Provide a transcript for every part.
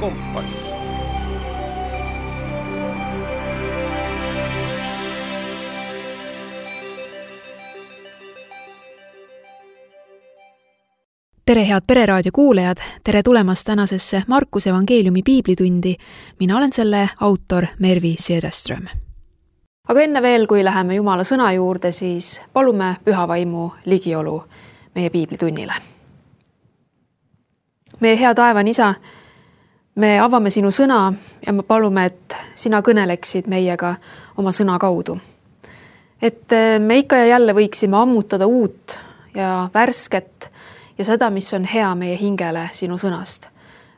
kompass. Tere head Pereraadio kuulajad, tere tulemast tänasesse Markuse evangeeliumi piiblitundi. Mina olen selle autor Mervi Sederström. Aga enne veel, kui läheme Jumala sõna juurde, siis palume Püha Vaimu ligiolu meie piiblitunnile. Meie hea taevan Isa, me avame sinu sõna ja me palume, et sina kõneleksid meiega oma sõna kaudu. Et me ikka ja jälle võiksime ammutada uut ja värsket ja seda, mis on hea meie hingele sinu sõnast.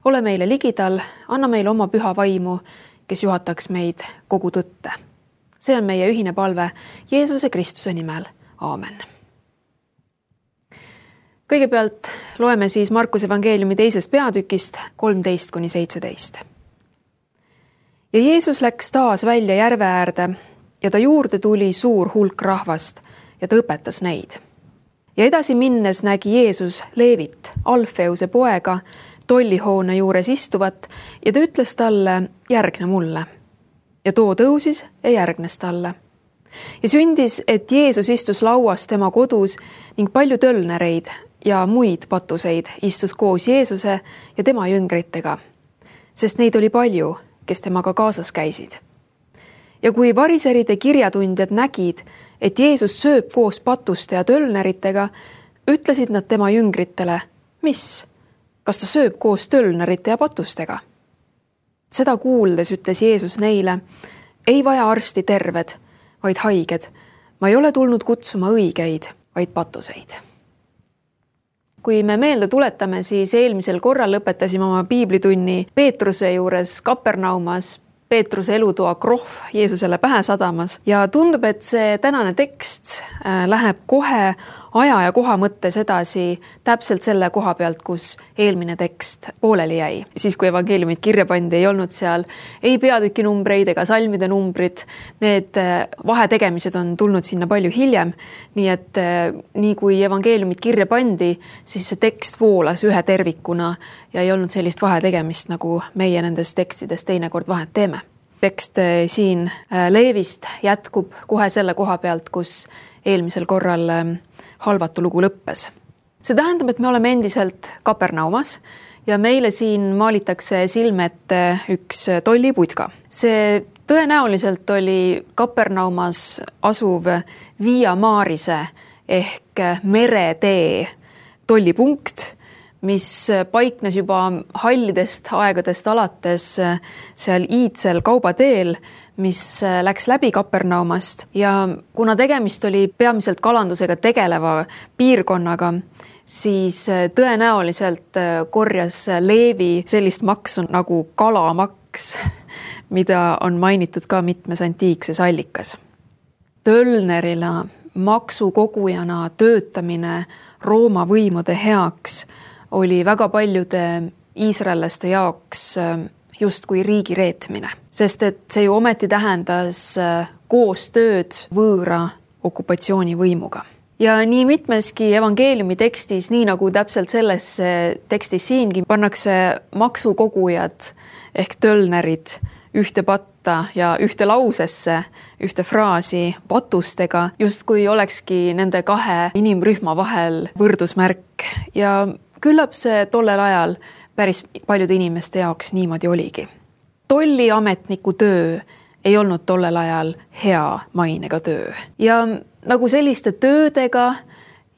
Ole meile ligidal, anna meile oma Püha Vaimu, kes juhataks meid kogu tõtte. See on meie ühine palve Jeesuse Kristuse nimel. Aamen. Kõigepealt loeme siis Markuse evangeeliumi 2. peatükist 13-17. Ja Jeesus läks taas välja järve äärde ja ta juurde tuli suur hulk rahvast ja ta õpetas neid. Ja edasi minnes nägi Jeesus Leevit, Alfeuse poega, tollihoone juures istuvat ja ta ütles talle, järgne mulle. Ja too tõusis ja järgnes talle. Ja sündis, et Jeesus istus lauas tema kodus ning palju tölnereid ja muid patuseid istus koos Jeesuse ja tema jüngritega, sest neid oli palju, kes temaga kaasas käisid. Ja kui variseride kirjatundjad nägid, et Jeesus sööb koos patuste ja tölneritega, ütlesid nad tema jüngritele, mis? Kas ta sööb koos tölnerite ja patustega? Seda kuuldes ütles Jeesus neile, ei vaja arsti terved, vaid haiged. Ma ei ole tulnud kutsuma õigeid, vaid patuseid. Kui me meelde tuletame, siis eelmisel korral lõpetasime oma piiblitunni Peetruse juures Kapernaumas, Peetruse elutoa krohv Jeesusele pähe sadamas ja tundub, et see tänane tekst läheb kohe aja ja koha mõttes edasi täpselt selle koha pealt, kus eelmine tekst pooleli jäi. Siis kui evangeeliumid kirja pandi, ei olnud seal ei peatüki numbreid ega salmide numbrid. Need vahetegemised on tulnud sinna palju hiljem, nii et nii kui evangeeliumid kirja pandi, siis see tekst voolas ühe tervikuna ja ei olnud sellist vahetegemist, nagu meie nendes tekstides teinekord vahet teeme. Tekst siin Leevist jätkub kohe selle koha pealt, kus eelmisel korral halvatu lugu lõppes. See tähendab, et me oleme endiselt Kapernaumas ja meile siin maalitakse silmet üks tolliputka. See tõenäoliselt oli Kapernaumas asuv Via Marise ehk meretee tollipunkt, mis paiknes juba hallidest aegadest alates seal iidsel kaubateel, mis läks läbi Kapernaumast ja kuna tegemist oli peamiselt kalandusega tegeleva piirkonnaga, siis tõenäoliselt korjas Leevi sellist maksu nagu kalamaks, mida on mainitud ka mitmes antiikses allikas. Tölnerina, maksukogujana töötamine Rooma võimude heaks oli väga paljude iisraellaste jaoks justkui riigi reetmine, sest et see ju ometi tähendas koostööd võõra okupatsioonivõimuga. Ja nii mitmeski evangeeliumi tekstis, nii nagu täpselt selles tekstis siingi, pannakse maksukogujad ehk tölnerid ühte patta ja ühte lausesse, ühte fraasi patustega, justkui olekski nende kahe inimrühma vahel võrdusmärk ja küllap see tollel ajal päris paljude inimeste jaoks niimoodi oligi. Tolliametniku töö ei olnud tollel ajal hea mainega töö. Ja nagu selliste töödega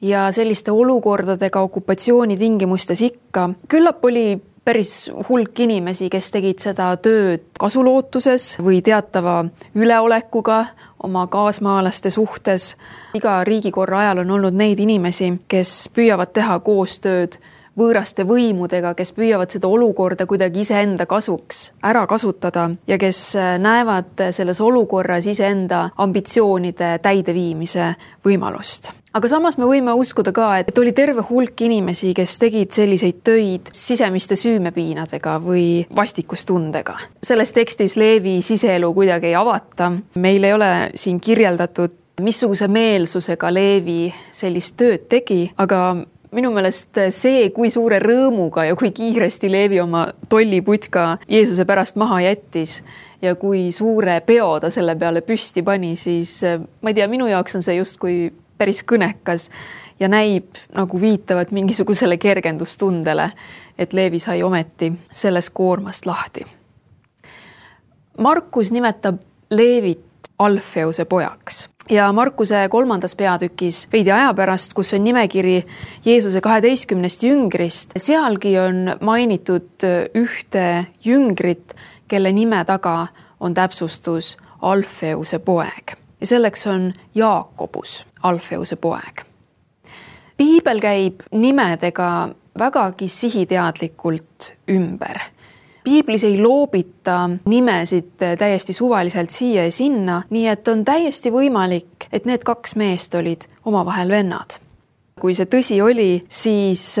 ja selliste olukordadega okupatsiooni tingimustes ikka, küllap oli päris hulk inimesi, kes tegid seda tööd kasulootuses või teatava üleolekuga oma kaasmaalaste suhtes. Iga riigikorra ajal on olnud neid inimesi, kes püüavad teha koostööd võõraste võimudega, kes püüavad seda olukorda kuidagi iseenda kasuks ära kasutada ja kes näevad selles olukorras iseenda ambitsioonide täideviimise võimalust. Aga samas me võime uskuda ka, et oli terve hulk inimesi, kes tegid selliseid töid sisemiste süümepiinadega või vastikustundega. Selles tekstis Leevi siseelu kuidagi ei avata. Meil ei ole siin kirjeldatud, missuguse meelsusega Leevi sellist tööd tegi, aga minu meelest see, kui suure rõõmuga ja kui kiiresti Leevi oma tolliputka Jeesuse pärast maha jättis ja kui suure peo ta selle peale püsti pani, siis ma ei tea, minu jaoks on see justkui päris kõnekas ja näib nagu viitavat mingisugusele kergendustundele, et Leevi sai ometi sellest koormast lahti. Markus nimetab Leevit Alfeuse pojaks ja Markuse 3. peatükis veidi aja pärast, kus on nimekiri Jeesuse 12 jüngrist, sealgi on mainitud ühte jüngrit, kelle nime taga on täpsustus Alfeuse poeg ja selleks on Jaakobus, Alfeuse poeg. Piibel käib nimedega vägagi sihiteadlikult ümber. Piiblis ei loobita nimesid täiesti suvaliselt siia ja sinna, nii et on täiesti võimalik, et need 2 meest olid omavahel vennad. Kui see tõsi oli, siis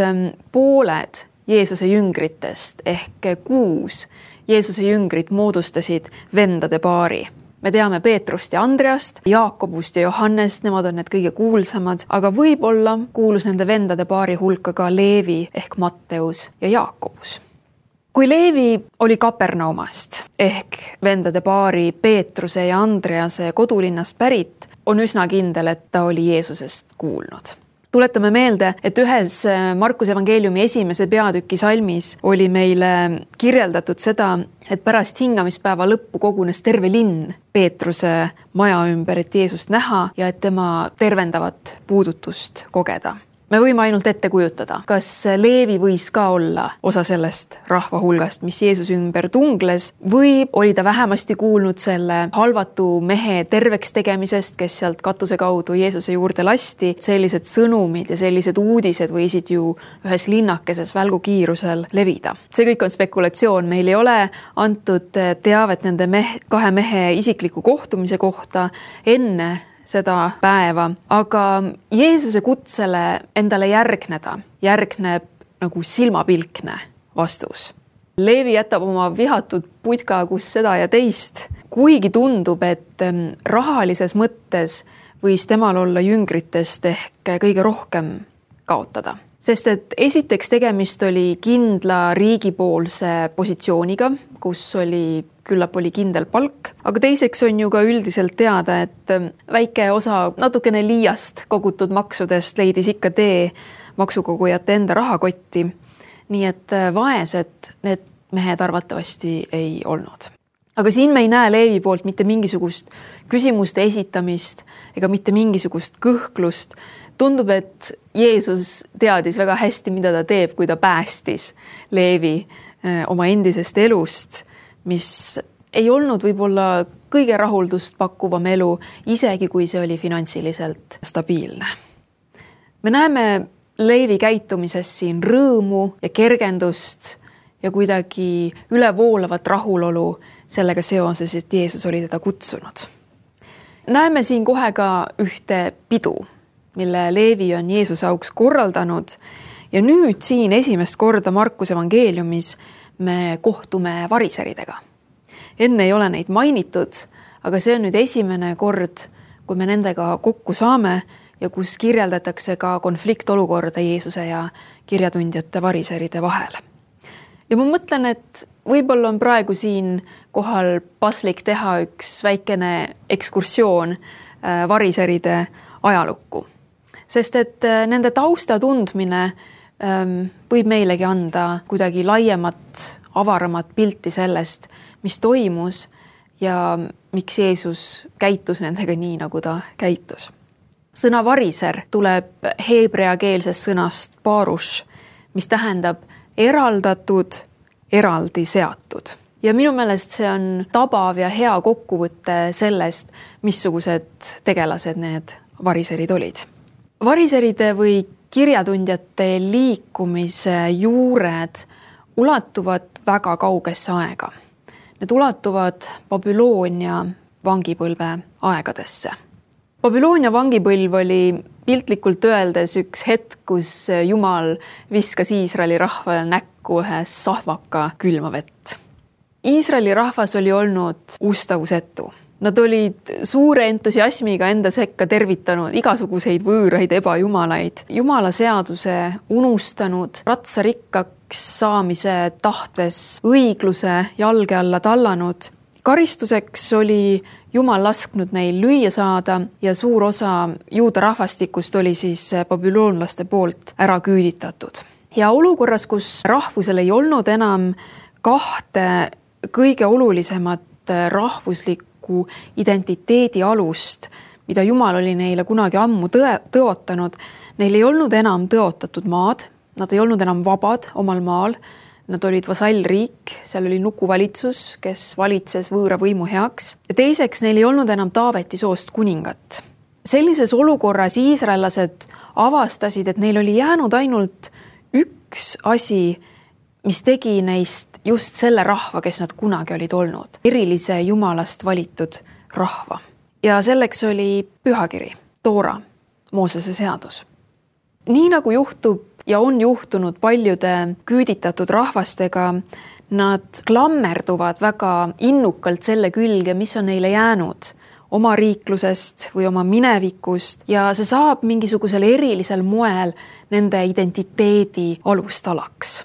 pooled Jeesuse jüngritest ehk 6 Jeesuse jüngrit moodustasid vendade paari. Me teame Peetrust ja Andreast, Jaakobust ja Johannest, nemad on need kõige kuulsamad, aga võib-olla kuulus nende vendade paari hulka ka Leevi ehk Matteus ja Jaakobus. Kui Leevi oli Kapernaumast ehk vendade paari Peetruse ja Andrease kodulinnast pärit, on üsna kindel, et ta oli Jeesusest kuulnud. Tuletame meelde, et ühes Markuse evangeeliumi 1. peatüki salmis oli meile kirjeldatud seda, et pärast hingamispäeva lõppu kogunes terve linn Peetruse maja ümber, et Jeesust näha ja et tema tervendavat puudutust kogeda. Me võime ainult ette kujutada, kas Leevi võis ka olla osa sellest rahva hulgast, mis Jeesuse ümber tungles, või oli ta vähemasti kuulnud selle halvatu mehe terveks tegemisest, kes sealt katuse kaudu Jeesuse juurde lasti. Sellised sõnumid ja sellised uudised võisid ju ühes linnakeses välgukiirusel levida. See kõik on spekulatsioon, meil ei ole antud teavet nende 2 mehe isikliku kohtumise kohta enne seda päeva, aga Jeesuse kutsele endale järgneb nagu silmapilkne vastus. Leevi jätab oma vihatud putka, kus seda ja teist, kuigi tundub, et rahalises mõttes võis temal olla jüngritest ehk kõige rohkem kaotada. Sest et esiteks tegemist oli kindla riigipoolse positsiooniga, kus küllap oli kindel palk, aga teiseks on ju ka üldiselt teada, et väike osa natukene liiast kogutud maksudest leidis ikka tee maksukogujate enda rahakotti, nii et vaesed need mehed arvatavasti ei olnud. Aga siin me ei näe Leevi poolt mitte mingisugust küsimuste esitamist ega mitte mingisugust kõhklust. Tundub, et Jeesus teadis väga hästi, mida ta teeb, kui ta päästis Leevi oma endisest elust, mis ei olnud võib-olla kõige rahuldust pakkuvam elu, isegi kui see oli finantsiliselt stabiilne. Me näeme Leevi käitumises siin rõõmu ja kergendust ja kuidagi ülevoolavat rahulolu sellega seoses, et Jeesus oli teda kutsunud. Näeme siin kohe ka ühte pidu, mille Leevi on Jeesuse auks korraldanud ja nüüd siin esimest korda Markuse evangeeliumis me kohtume variseridega. Enne ei ole neid mainitud, aga see on nüüd esimene kord, kui me nendega kokku saame ja kus kirjeldatakse ka konfliktolukorda Jeesuse ja kirjatundjate variseride vahel. Ja ma mõtlen, et võib-olla on praegu siin kohal paslik teha üks väikene ekskursioon variseride ajalukku. Sest et nende tausta tundmine võib meilegi anda kuidagi laiemat, avaramat pilti sellest, mis toimus ja miks Jeesus käitus nendega nii, nagu ta käitus. Sõna variser tuleb heebreakeelsest sõnast parush, mis tähendab eraldatud, eraldi seatud. Ja minu meelest see on tabav ja hea kokkuvõte sellest, missugused tegelased need variserid olid. Variseride või kirjatundjate liikumise juured ulatuvad väga kaugesse aega. Need ulatuvad Babyloonia vangipõlve aegadesse. Babyloonia vangipõlv oli piltlikult öeldes üks hetk, kus Jumal viskas Iisraeli rahvale näkku ühe sahvaka külma vett. Iisraeli rahvas oli olnud ustavusetu. Nad olid suure entusiasmiga enda sekka tervitanud igasuguseid võõraid ebajumalaid, jumala seaduse unustanud, ratsarikkaks saamise tahtes õigluse jalge alla tallanud. Karistuseks oli Jumal lasknud neil lüüa saada ja suur osa juuda rahvastikust oli siis babüloonlaste poolt ära küüditatud. Ja olukorras, kus rahvusel ei olnud enam kahte kõige olulisemat rahvuslikku identiteedi alust, mida Jumal oli neile kunagi ammu tõotanud, neil ei olnud enam tõotatud maad, nad ei olnud enam vabad omal maal, nad olid vasallriik, seal oli nukuvalitsus, kes valitses võõra võimu heaks. Ja teiseks, neil ei olnud enam Taaveti soost kuningat. Sellises olukorras iisraellased avastasid, et neil oli jäänud ainult üks asi, mis tegi neist just selle rahva, kes nad kunagi olid olnud. Erilise Jumalast valitud rahva. Ja selleks oli pühakiri, Toora, Moosese seadus. Nii nagu juhtub ja on juhtunud paljude küüditatud rahvastega, nad klammerduvad väga innukalt selle külge, mis on neile jäänud oma riiklusest või oma minevikust ja see saab mingisugusel erilisel moel nende identiteedi alustalaks.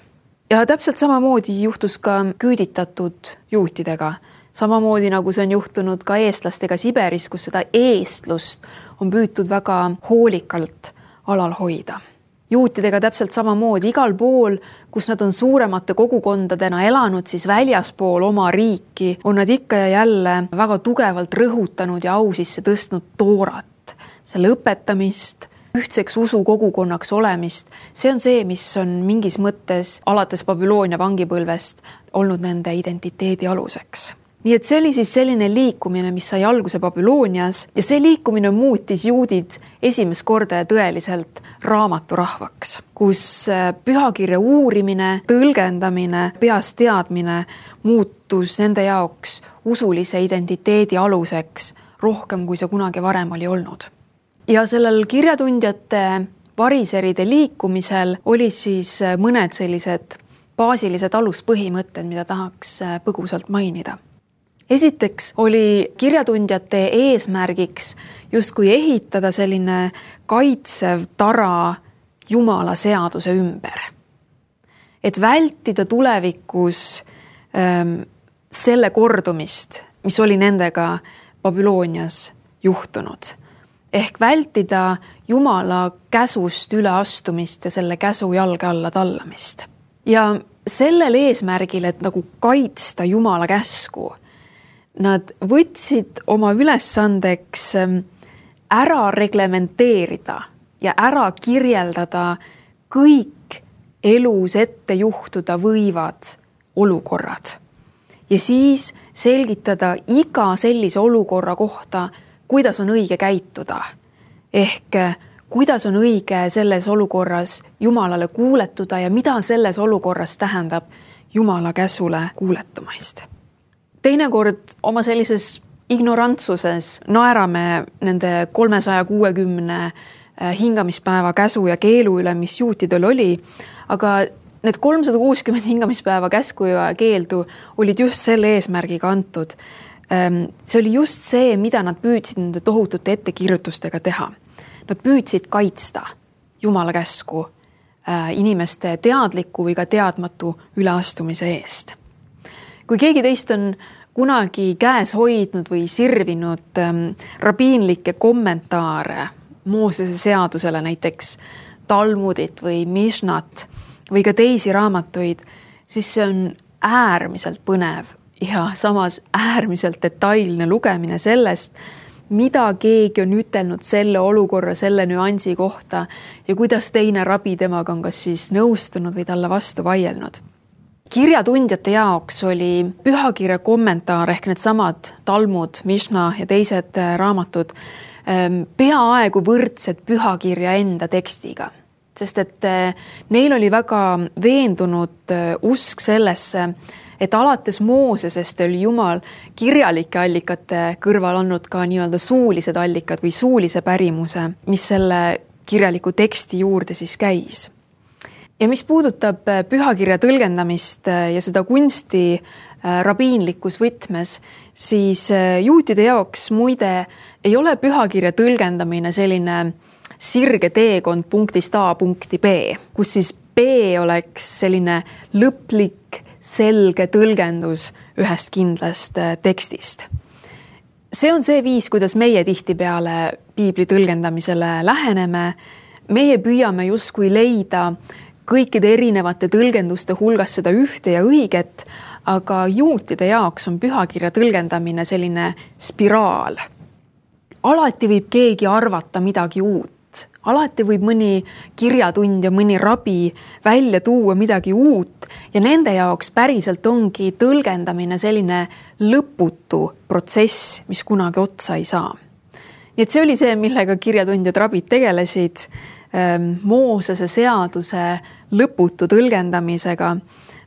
Ja täpselt samamoodi juhtus ka küüditatud juutidega. Samamoodi nagu see on juhtunud ka eestlastega Siberis, kus seda eestlust on püütud väga hoolikalt alal hoida. Juutidega täpselt samamoodi igal pool, kus nad on suuremate kogukondadena elanud, siis väljaspool oma riiki on nad ikka ja jälle väga tugevalt rõhutanud ja au sisse tõstnud Toorat, selle õpetamist, ühtseks usukogukonnaks olemist. See on see, mis on mingis mõttes alates Babyloonia vangipõlvest olnud nende identiteedi aluseks. Nii et see oli siis selline liikumine, mis sai alguse Babylonias ja see liikumine muutis juudid esimest korda tõeliselt raamaturahvaks, kus pühakirja uurimine, tõlgendamine, peast teadmine muutus nende jaoks usulise identiteedi aluseks rohkem, kui see kunagi varem oli olnud. Ja sellel kirjatundjate variseride liikumisel oli siis mõned sellised baasilised aluspõhimõtted, mida tahaks põgusalt mainida. Esiteks oli kirjatundjate eesmärgiks justkui ehitada selline kaitsev tara Jumala seaduse ümber. Et vältida tulevikus selle kordumist, mis oli nendega Babylonias juhtunud. Ehk vältida Jumala käsust üleastumist ja selle käsu jalge alla tallamist. Ja sellel eesmärgil, et nagu kaitsta Jumala käsku, nad võtsid oma ülesandeks ära reglementeerida ja ära kirjeldada kõik elus ette juhtuda võivad olukorrad. Ja siis selgitada iga sellise olukorra kohta, kuidas on õige käituda. Ehk kuidas on õige selles olukorras Jumalale kuuletuda ja mida selles olukorras tähendab Jumala käsule kuuletumist. Teinekord oma sellises ignorantsuses naerame nende 360 hingamispäeva käsu ja keelu üle, mis juutidel oli, aga need 360 hingamispäeva käsku ja keeldu olid just selle eesmärgiga antud. See oli just see, mida nad püüdsid nende tohutute ettekirjutustega teha. Nad püüdsid kaitsta Jumala käsku inimeste teadliku või ka teadmatu üleastumise eest. Kui keegi teist on kunagi käes hoidnud või sirvinud rabiinlikke kommentaare Moosese seadusele, näiteks Talmudit või Mishnat või ka teisi raamatuid, siis see on äärmiselt põnev ja samas äärmiselt detailne lugemine sellest, mida keegi on ütelnud selle olukorra, selle nüansi kohta ja kuidas teine rabi temaga on kas siis nõustunud või talle vastu vaielnud. Kirjatundjate jaoks oli pühakirja kommentaar ehk need samad Talmud, Mishna ja teised raamatud peaaegu võrdsed pühakirja enda tekstiga, sest et neil oli väga veendunud usk sellesse, et alates Moosesest oli Jumal kirjalike allikate kõrval andnud ka nii-öelda suulised allikad või suulise pärimuse, mis selle kirjaliku teksti juurde siis käis. Ja mis puudutab pühakirja tõlgendamist ja seda kunsti rabiinlikus võtmes, siis juutide jaoks muide ei ole pühakirja tõlgendamine selline sirge teekond punktist A punkti B, kus siis B oleks selline lõplik, selge tõlgendus ühest kindlast tekstist. See on see viis, kuidas meie tihtipeale piibli tõlgendamisele läheneme. Meie püüame justkui leida kõikide erinevate tõlgenduste hulgas seda ühte ja õiget, aga juutide jaoks on pühakirja tõlgendamine selline spiraal. Alati võib keegi arvata midagi uut. Alati võib mõni kirjatundja, mõni rabi välja tuua midagi uut ja nende jaoks päriselt ongi tõlgendamine selline lõputu protsess, mis kunagi otsa ei saa. Nii et see oli see, millega kirjatundjad rabid tegelesid, Moosese seaduse lõputu tõlgendamisega,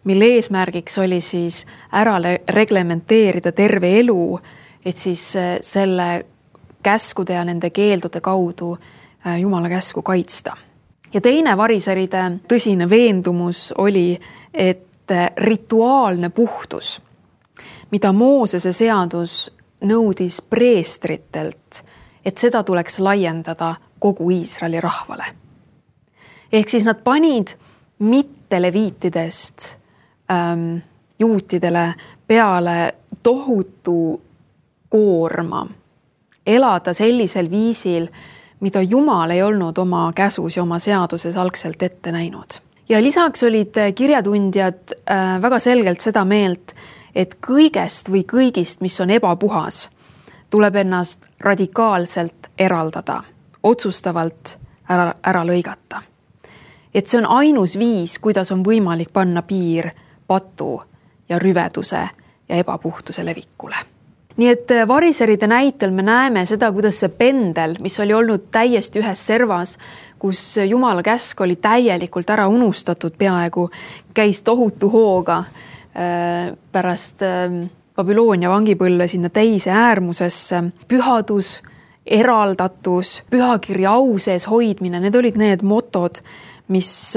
mille eesmärgiks oli siis ära reglementeerida terve elu, et siis selle käskude ja nende keeldude kaudu Jumala käsku kaitsta. Ja teine variseride tõsine veendumus oli, et rituaalne puhtus, mida Moosese seadus nõudis preestritelt, et seda tuleks laiendada kogu Iisraeli rahvale. Ehk siis nad panid mitte leviitidest juutidele peale tohutu koorma elada sellisel viisil, mida Jumal ei olnud oma käsus ja oma seaduses algselt ette näinud. Ja lisaks olid kirjatundjad väga selgelt seda meelt, et kõigest või kõigist, mis on ebapuhas, tuleb ennast radikaalselt eraldada, otsustavalt ära lõigata. Et see on ainus viis, kuidas on võimalik panna piir patu ja rüveduse ja ebapuhtuse levikule. Nii et variseride näitel me näeme seda, kuidas see pendel, mis oli olnud täiesti ühes servas, kus Jumala käsk oli täielikult ära unustatud peaaegu, käis tohutu hooga pärast Babyloonia vangipõlve sinna teise äärmusesse. Pühadus, eraldatus, pühakirja au sees hoidmine, need olid need motod, mis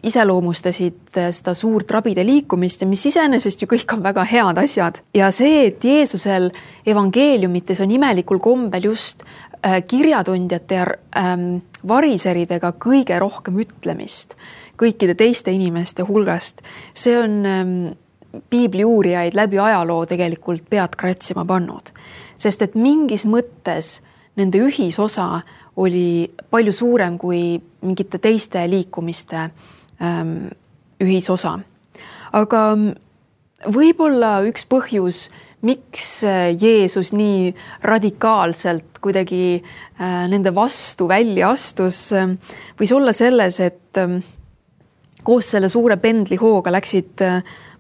iseloomustasid seda suurt rabide liikumist ja mis iseenesest ju kõik on väga head asjad. Ja see, et Jeesusel evangeeliumites on imelikul kombel just kirjatundjate ja variseridega kõige rohkem ütlemist kõikide teiste inimeste hulgast, see on piibli uurijaid läbi ajaloo tegelikult pead kratsima pannud. Sest et mingis mõttes nende ühisosa oli palju suurem kui mingite teiste liikumiste ühisosa. Aga võib-olla üks põhjus, miks Jeesus nii radikaalselt kuidagi nende vastu välja astus, võis olla selles, et koos selle suure pendlihooga läksid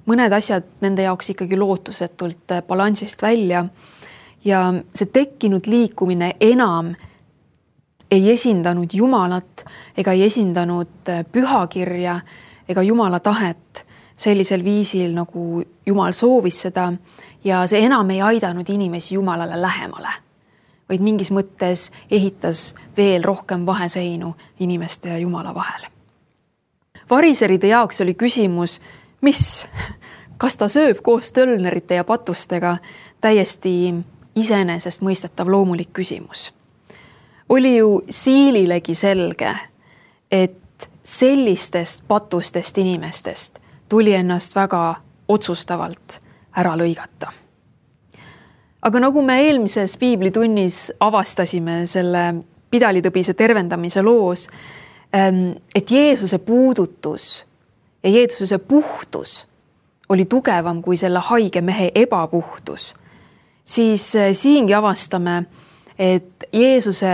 mõned asjad nende jaoks ikkagi lootusetult balansist välja ja see tekkinud liikumine enam ei esindanud Jumalat ega ei esindanud pühakirja ega Jumala tahet sellisel viisil, nagu Jumal soovis seda ja see enam ei aidanud inimesi Jumalale lähemale, vaid mingis mõttes ehitas veel rohkem vaheseinu inimeste ja Jumala vahel. Variseride jaoks oli küsimus, kas ta sööb koos tölnerite ja patustega, täiesti iseenesest mõistetav loomulik küsimus. Oli ju siililegi selge, et sellistest patustest inimestest tuli ennast väga otsustavalt ära lõigata. Aga nagu me eelmises piiblitunnis avastasime selle pidalitõbise tervendamise loos, et Jeesuse puudutus ja Jeesuse puhtus oli tugevam kui selle haige mehe ebapuhtus, siis siingi avastame, et Jeesuse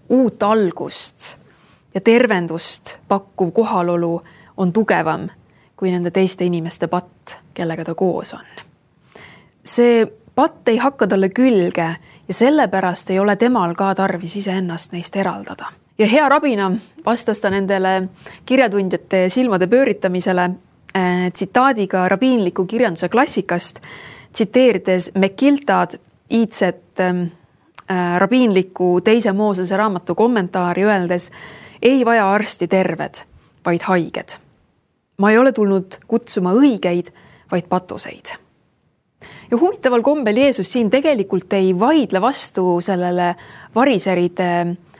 uut algust ja tervendust pakkuv kohalolu on tugevam kui nende teiste inimeste patt, kellega ta koos on. See patt ei hakka talle külge ja sellepärast ei ole temal ka tarvis iseennast neist eraldada. Ja hea rabina vastas ta nendele kirjatundjate silmade pööritamisele tsitaadiga rabiinliku kirjanduse klassikast, tsiteerides Mekiltad iidset rabiinliku teise Moosese raamatu kommentaari öeldes, ei vaja arsti terved, vaid haiged. Ma ei ole tulnud kutsuma õigeid, vaid patuseid. Ja huvitaval kombel Jeesus siin tegelikult ei vaidle vastu sellele variseride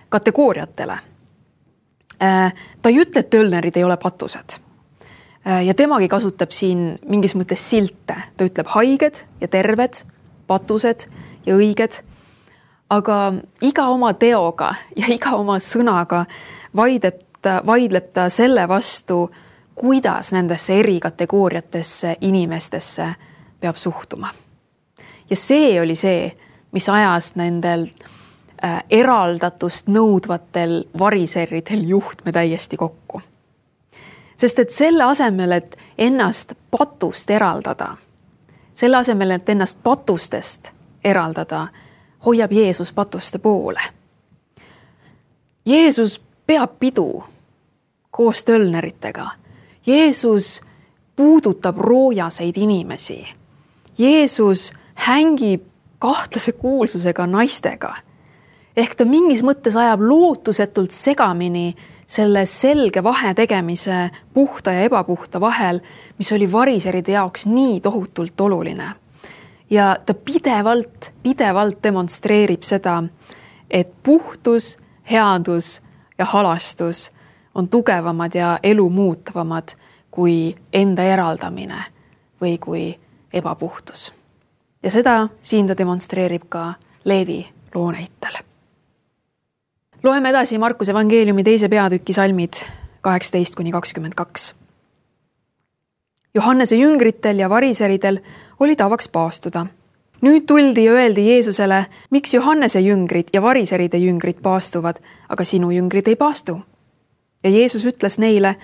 kategooriatele. Ta ei ütle, et tölnerid ei ole patused. Ja temagi kasutab siin mingis mõttes silte. Ta ütleb haiged ja terved, patused ja õiged. Aga iga oma teoga ja iga oma sõnaga vaidleb ta selle vastu, kuidas nendesse eri kategooriatesse inimestesse peab suhtuma. Ja see oli see, mis ajas nendel eraldatust nõudvatel variseridel juhtme täiesti kokku. Sest et selle asemel, et ennast patust eraldada, selle asemel, et ennast patustest eraldada, hoiab Jeesus patuste poole. Jeesus peab pidu koos tölneritega. Jeesus puudutab roojaseid inimesi. Jeesus hängib kahtlase kuulsusega naistega. Ehk ta mingis mõttes ajab lootusetult segamini selle selge vahe tegemise puhta ja ebapuhta vahel, mis oli variseride jaoks nii tohutult oluline. Ja ta pidevalt demonstreerib seda, et puhtus, headus ja halastus on tugevamad ja elu muutavamad kui enda eraldamine või kui ebapuhtus. Ja seda siin ta demonstreerib ka Leevi loo näitel. Loeme edasi Markuse evangeeliumi 2. peatüki salmid 18-22. Johannese jüngritel ja variseridel oli tavaks paastuda. Nüüd tuldi ja öeldi Jeesusele, miks Johannese jüngrid ja variseride jüngrid paastuvad, aga sinu jüngrid ei paastu. Ja Jeesus ütles neile,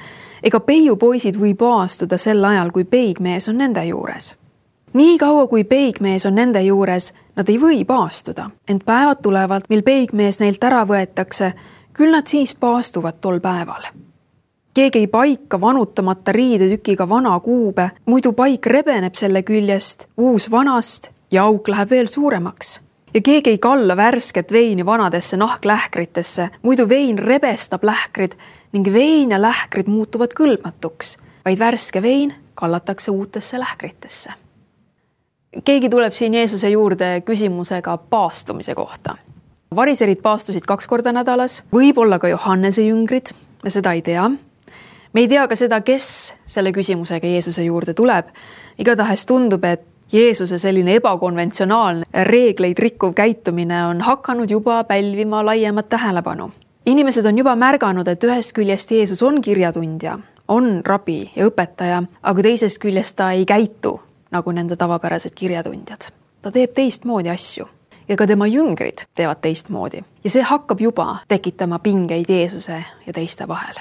ega peiupoisid või paastuda sel ajal, kui peigmees on nende juures. Nii kaua, kui peigmees on nende juures, nad ei või paastuda, ent päevad tulevad, mil peigmees neilt ära võetakse, küll nad siis paastuvad tol päeval. Keegi ei paika vanutamata riidetükiga vana kuube, muidu paik rebeneb selle küljest, uus vanast ja auk läheb veel suuremaks. Ja keegi ei kalla värsket veini vanadesse nahklähkritesse, muidu vein rebestab lähkrid ning vein ja lähkrid muutuvad kõlbmatuks, vaid värske vein kallatakse uutesse lähkritesse. Keegi tuleb siin Jeesuse juurde küsimusega paastumise kohta. Variserid paastusid 2 korda nädalas, võib-olla ka Johannese jüngrid, me seda ei tea. Me ei tea ka seda, kes selle küsimusega Jeesuse juurde tuleb. Igatahes tundub, et Jeesuse selline ebakonventsionaalne reegleid rikkuv käitumine on hakanud juba pälvima laiemat tähelepanu. Inimesed on juba märganud, et ühest küljest Jeesus on kirjatundja, on rabi ja õpetaja, aga teisest küljest ta ei käitu nagu nende tavapärased kirjatundjad. Ta teeb teistmoodi asju ja ka tema jüngrid teevad teistmoodi. Ja see hakkab juba tekitama pingeid Jeesuse ja teiste vahel.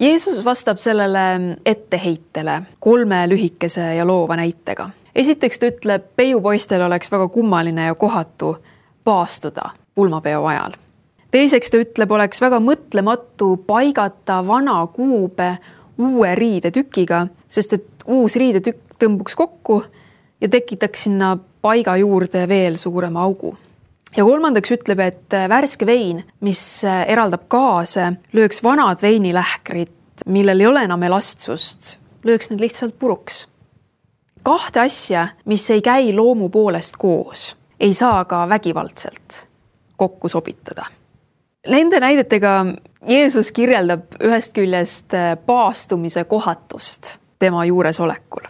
Jeesus vastab sellele etteheitele 3 lühikese ja loova näitega. Esiteks ta ütleb, peiupoistel oleks väga kummaline ja kohatu paastuda pulmapeo ajal. Teiseks ta ütleb, oleks väga mõtlematu paigata vana kuube uue riidetükiga, sest et uus riidetükk tõmbuks kokku ja tekitaks sinna paiga juurde veel suurema augu. Ja kolmandaks ütleb, et värske vein, mis eraldab gaase, lööks vanad veinilähkrid, millel ei ole enam elastsust, lööks need lihtsalt puruks. 2 asja, mis ei käi loomu poolest koos, ei saa ka vägivaldselt kokku sobitada. Nende näidetega Jeesus kirjeldab ühest küljest paastumise kohatust tema juuresolekul.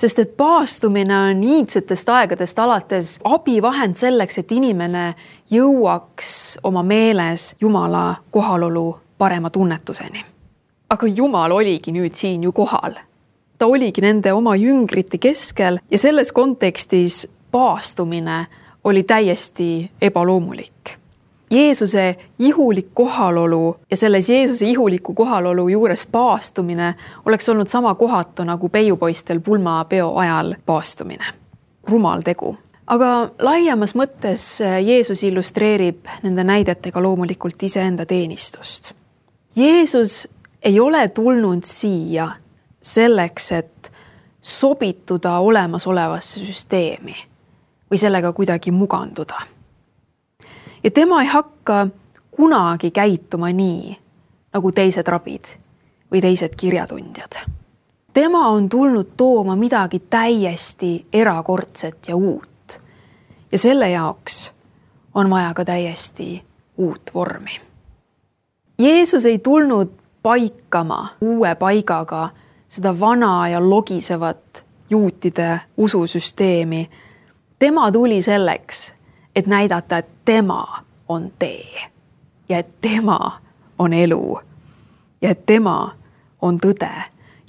Sest et paastumine on iidsetest aegadest alates abivahend selleks, et inimene jõuaks oma meeles Jumala kohalolu parema tunnetuseni. Aga Jumal oligi nüüd siin ju kohal. Ta oligi nende oma jüngrite keskel ja selles kontekstis paastumine oli täiesti ebaloomulik. Jeesuse ihulik kohalolu ja selles Jeesuse ihuliku kohalolu juures paastumine oleks olnud sama kohatu nagu peiupoistel pulmapeo ajal paastumine. Rumal tegu. Aga laiemas mõttes Jeesus illustreerib nende näidetega loomulikult iseenda teenistust. Jeesus ei ole tulnud siia selleks, et sobituda olemasolevasse süsteemi või sellega kuidagi muganduda. Ja tema ei hakka kunagi käituma nii, nagu teised rabid või teised kirjatundjad. Tema on tulnud tooma midagi täiesti erakordset ja uut. Ja selle jaoks on vaja ka täiesti uut vormi. Jeesus ei tulnud paikama uue paigaga seda vana ja logisevat juutide ususüsteemi. Tema tuli selleks, et näidata, et tema on tee ja et tema on elu ja et tema on tõde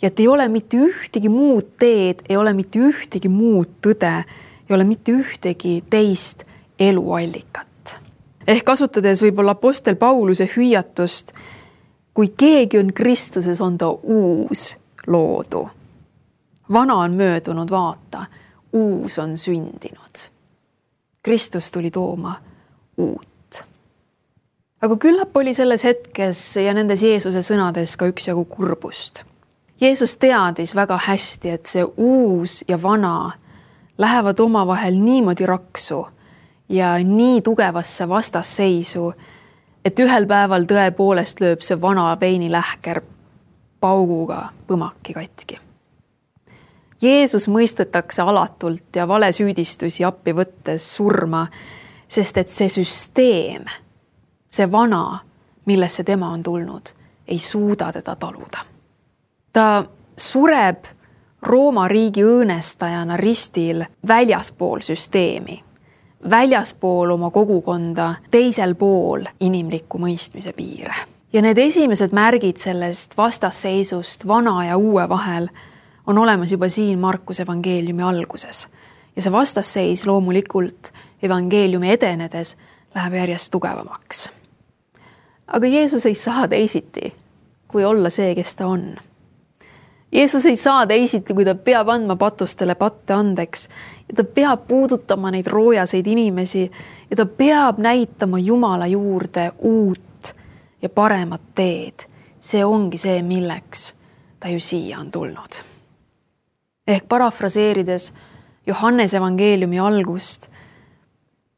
ja et ei ole mitte ühtegi muud teed, ei ole mitte ühtegi muud tõde, ei ole mitte ühtegi teist eluallikat. Ehk kasutades võib-olla apostel Pauluse hüüatust, kui keegi on Kristuses, on ta uus loodu. Vana on möödunud, vaata, uus on sündinud. Kristus tuli tooma uut. Aga küllap oli selles hetkes ja nendes Jeesuse sõnades ka üksjagu kurbust. Jeesus teadis väga hästi, et see uus ja vana lähevad omavahel niimoodi raksu ja nii tugevasse vastasseisu, et ühel päeval tõepoolest lööb see vana veinilähker pauguga põmaki katki. Jeesus mõistetakse alatult ja valesüüdistusi appi võttes surma, sest et see süsteem, see vana, millesse tema on tulnud, ei suuda teda taluda. Ta sureb Rooma riigi õõnestajana ristil väljaspool süsteemi, väljaspool oma kogukonda, teisel pool inimliku mõistmise piire. Ja need esimesed märgid sellest vastasseisust vana ja uue vahel on olemas juba siin Markuse evangeeliumi alguses. Ja see vastasseis loomulikult evangeeliumi edenedes läheb järjest tugevamaks. Aga Jeesus ei saa teisiti, kui olla see, kes ta on. Jeesus ei saa teisiti, kui ta peab andma patustele patte andeks ja ta peab puudutama neid roojaseid inimesi ja ta peab näitama Jumala juurde uut ja paremat teed. See ongi see, milleks ta ju siia on tulnud. Ehk parafraseerides Johannes evangeeliumi algust,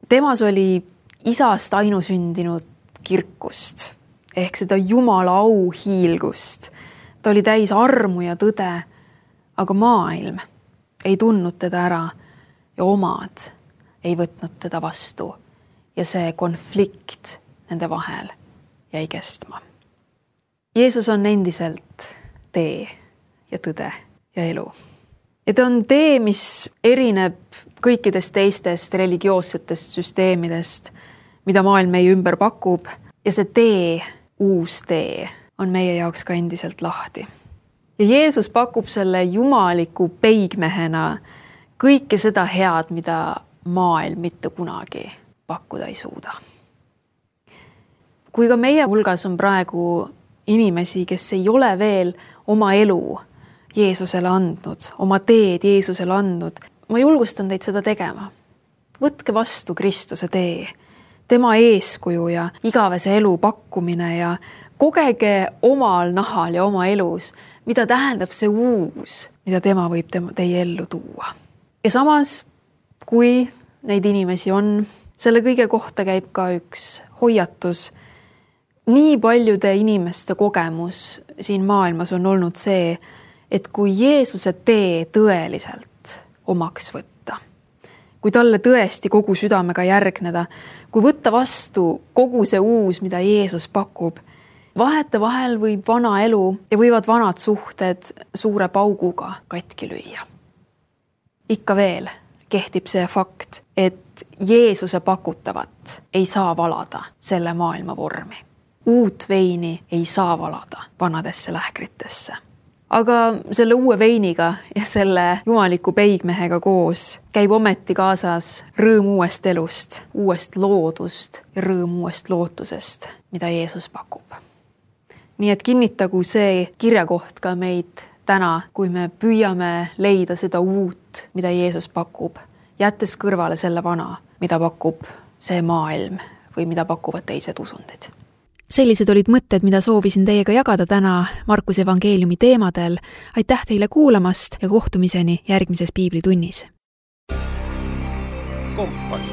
temas oli isast ainusündinud kirkust ehk seda Jumala au hiilgust. Ta oli täis armu ja tõde, aga maailm ei tundnud teda ära ja omad ei võtnud teda vastu. Ja see konflikt nende vahel jäi kestma. Jeesus on endiselt tee ja tõde ja elu. Ja ta on tee, mis erineb kõikidest teistest religioossetest süsteemidest, mida maailm meie ümber pakub. Ja see tee, uus tee, on meie jaoks ka endiselt lahti. Ja Jeesus pakub selle jumaliku peigmehena kõike seda head, mida maailm mitte kunagi pakkuda ei suuda. Kui ka meie hulgas on praegu inimesi, kes ei ole veel oma elu Jeesusele andnud, oma teed Jeesusele andnud, ma julgustan teid seda tegema. Võtke vastu Kristuse tee, tema eeskuju ja igavese elu pakkumine ja kogege omal nahal ja oma elus, mida tähendab see uus, mida tema võib teie ellu tuua. Ja samas, kui neid inimesi on, selle kõige kohta käib ka üks hoiatus. Nii paljude inimeste kogemus siin maailmas on olnud see, et kui Jeesuse tee tõeliselt omaks võtta, kui talle tõesti kogu südamega järgneda, kui võtta vastu kogu see uus, mida Jeesus pakub, vahete vahel võib vana elu ja võivad vanad suhted suure pauguga katki lüüa. Ikka veel kehtib see fakt, et Jeesuse pakutavat ei saa valada selle maailma vormi. Uut veini ei saa valada vanadesse lähkritesse. Aga selle uue veiniga ja selle jumaliku peigmehega koos käib ometi kaasas rõõm uuest elust, uuest loodust ja rõõm uuest lootusest, mida Jeesus pakub. Nii et kinnitagu see kirjakoht ka meid täna, kui me püüame leida seda uut, mida Jeesus pakub, jättes kõrvale selle vana, mida pakub see maailm või mida pakuvad teised usundid. Sellised olid mõtted, mida soovisin teiega jagada täna Markuse evangeeliumi teemadel. Aitäh teile kuulamast ja kohtumiseni järgmises piiblitunnis. Kompass.